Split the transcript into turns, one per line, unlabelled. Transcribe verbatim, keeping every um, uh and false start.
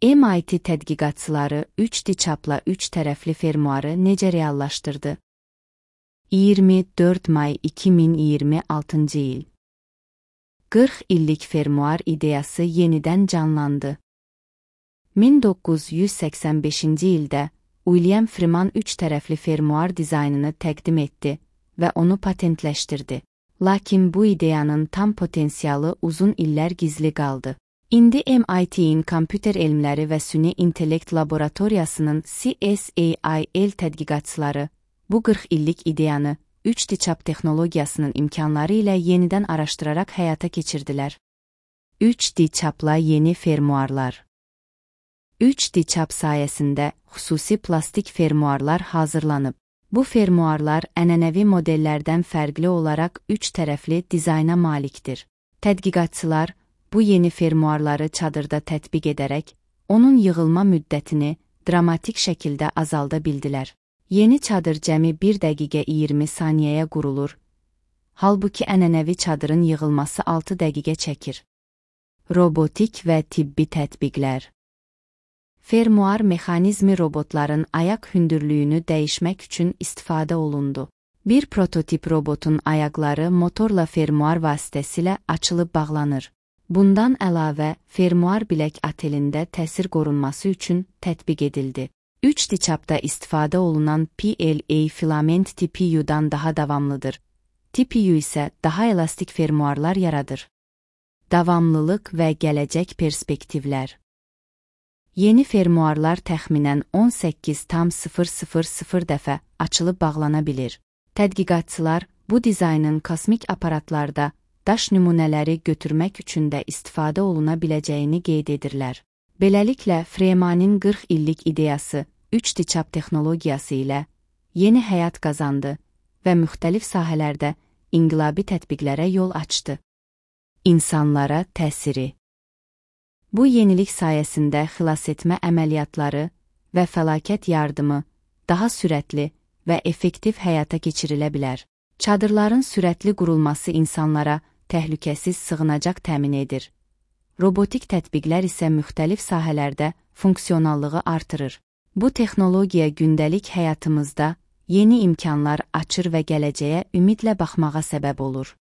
M I T tədqiqatçıları üç D çapla üç tərəfli fermuarı necə reallaşdırdı? iyirmi dörd may iki min iyirmi altıncı il. qırx illik fermuar ideyası yenidən canlandı. min doqquz yüz səksən beşinci ildə William Freeman üç tərəfli fermuar dizaynını təqdim etdi və onu patentləşdirdi. Lakin bu ideyanın tam potensialı uzun illər gizli qaldı. İndi M I T'in kompüter elmləri və süni intellekt laboratoriyasının C S A I L tədqiqatçıları bu qırx illik ideyanı üç D çap texnologiyasının imkanları ilə yenidən araşdıraraq həyata keçirdilər. üç D çapla yeni fermuarlar. üç D çap sayəsində xüsusi plastik fermuarlar hazırlanıb. Bu fermuarlar ənənəvi modellərdən fərqli olaraq üç tərəfli dizayna malikdir. Tədqiqatçılar bu yeni fermuarları çadırda tətbiq edərək, onun yığılma müddətini dramatik şəkildə azalda bildilər. Yeni çadır cəmi bir dəqiqə iyirmi saniyəyə qurulur, halbuki ənənəvi çadırın yığılması altı dəqiqə çəkir. Robotik və tibbi tətbiqlər. Fermuar mexanizmi robotların ayaq hündürlüyünü dəyişmək üçün istifadə olundu. Bir prototip robotun ayaqları motorla fermuar vasitəsilə açılıb bağlanır. Bundan əlavə, fermuar bilək atelində təsir qorunması üçün tətbiq edildi. üç D çapda istifadə olunan P L A filament T P U-dan daha davamlıdır. T P U isə daha elastik fermuarlar yaradır. Davamlılıq və gələcək perspektivlər. Yeni fermuarlar təxminən on səkkiz tam sıfır sıfır sıfır dəfə açılıb bağlana bilir. Tədqiqatçılar bu dizaynın kosmik aparatlarda daş nümunələri götürmək üçün də istifadə oluna biləcəyini qeyd edirlər. Beləliklə, Freeman'in qırx illik ideyası üç D çap texnologiyası ilə yeni həyat qazandı və müxtəlif sahələrdə inqilabi tətbiqlərə yol açdı. İnsanlara təsiri. Bu yenilik sayəsində xilasetmə əməliyyatları və fəlakət yardımı daha sürətli və effektiv həyata keçirilə bilər. Çadırların sürətli qurulması insanlara təhlükəsiz sığınacaq təmin edir. Robotik tətbiqlər isə müxtəlif sahələrdə funksionallığı artırır. Bu texnologiya gündəlik həyatımızda yeni imkanlar açır və gələcəyə ümidlə baxmağa səbəb olur.